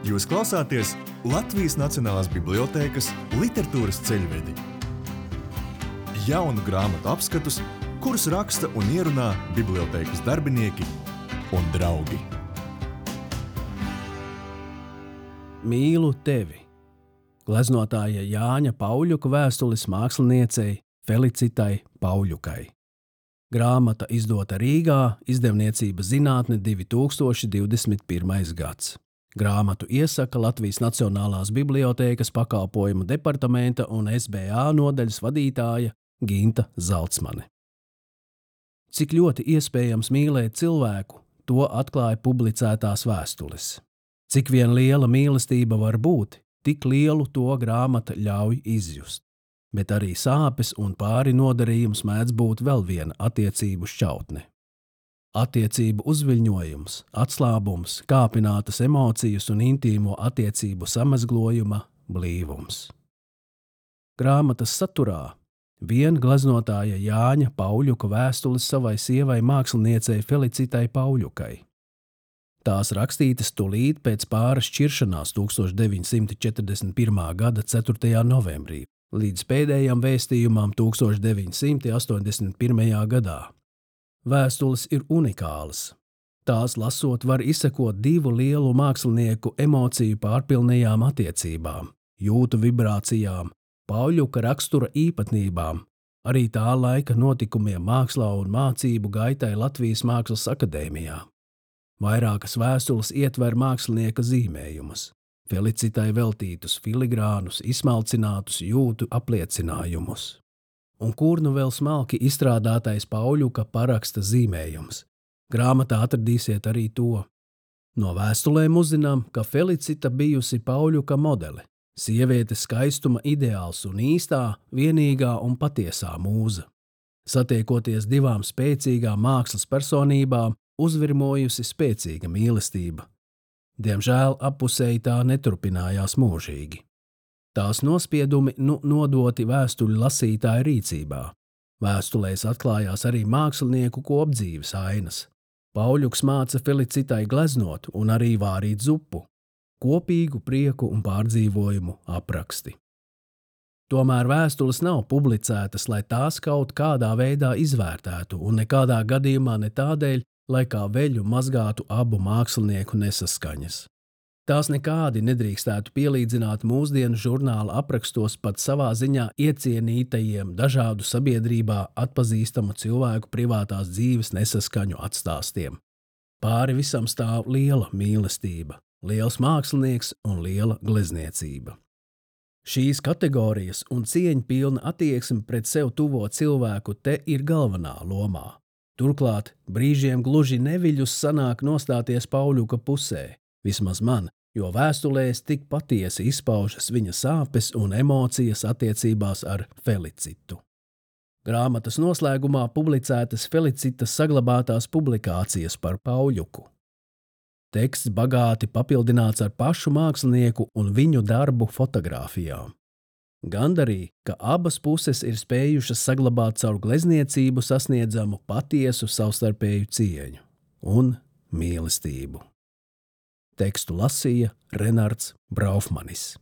Jūs klausāties Latvijas Nacionālās bibliotēkas literatūras ceļvedi. Jaunu grāmatu apskatus, kurus raksta un ierunā bibliotēkas darbinieki un draugi. Mīlu tevi! Gleznotāja Jāņa Pauļuka vēstules māksliniecei Felicitai Pauļukai. Grāmata izdota Rīgā, izdevniecība Zinātne 2021. gads. Grāmatu iesaka Latvijas Nacionālās bibliotēkas pakalpojumu departamenta un SBA nodaļas vadītāja Ginta Zalcmane. Cik ļoti iespējams mīlēt cilvēku, to atklāja publicētās vēstules. Cik vien liela mīlestība var būt, tik lielu to grāmata ļauj izjust. Bet arī sāpes un pāri nodarījums mēdz būt vēl viena attiecību šķautne. Attiecību uzviļņojums, atslābums, kāpinātas emocijas un intīmo attiecību samezglojuma blīvums. Grāmatas saturā vien gleznotāja Jāņa Pauļuka vēstules savai sievai māksliniecei Felicitai Pauļukai. Tās rakstītas tūlīt pēc pāra šķiršanās 1941. gada 4. novembrī līdz pēdējām vēstījumam 1981. gadā. Vēstules ir unikālas. Tās lasot var izsekot divu lielu mākslinieku emociju pārpilnajām attiecībām, jūtu vibrācijām, Pauļuka rakstura īpatnībām, arī tā laika notikumiem mākslā un mācību gaitai Latvijas Mākslas akadēmijā. Vairākas vēstules ietver mākslinieka zīmējumus, Felicitai veltītus filigrānus, izsmalcinātus jūtu apliecinājumus. Un kur nu vēl smalki izstrādātais Pauļuka paraksta zīmējums. Grāmatā atradīsiet arī to. No vēstulēm uzzinām, ka Felicita bijusi Pauļuka modele, sievietes skaistuma ideāls un īstā, vienīgā un patiesā mūza. Satiekoties divām spēcīgām mākslas personībām, uzvirmojusi spēcīga mīlestība. Diemžēl appusēji tā neturpinājās mūžīgi. Tās nospiedumi nodoti vēstuļu lasītāju rīcībā. Vēstulēs atklājās arī mākslinieku kopdzīves ainas. Pauļuks māca Felicitai gleznot un arī vārīt zupu, kopīgu prieku un pārdzīvojumu apraksti. Tomēr vēstules nav publicētas, lai tās kaut kādā veidā izvērtētu un nekādā gadījumā ne tādēļ, lai kā veļu mazgātu abu mākslinieku nesaskaņas. Tās nekādi nedrīkstētu pielīdzināt mūsdienu žurnāla aprakstos pat savā ziņā iecienītajiem dažādu sabiedrībā atpazīstamu cilvēku privātās dzīves nesaskaņu atstāstiem. Pāri visam stāv liela mīlestība, liels mākslinieks un liela glezniecība. Šīs kategorijas un cieņpilna attieksme pret sev tuvo cilvēku te ir galvenā lomā. Turklāt brīžiem gluži neviļus sanāk nostāties Pauļuka pusē, vismaz man, jo vēstulēs tik patiesi izpaužas viņa sāpes un emocijas attiecībās ar Felicitu. Grāmatas noslēgumā publicētas Felicitas saglabātās publikācijas par Pauļuku. Teksts bagāti papildināts ar pašu mākslinieku un viņu darbu fotogrāfijām. Gandarī, ka abas puses ir spējušas saglabāt caur glezniecību sasniedzamu patiesu savstarpēju cieņu un mīlestību. Tekstu lasīja Renards Braufmanis.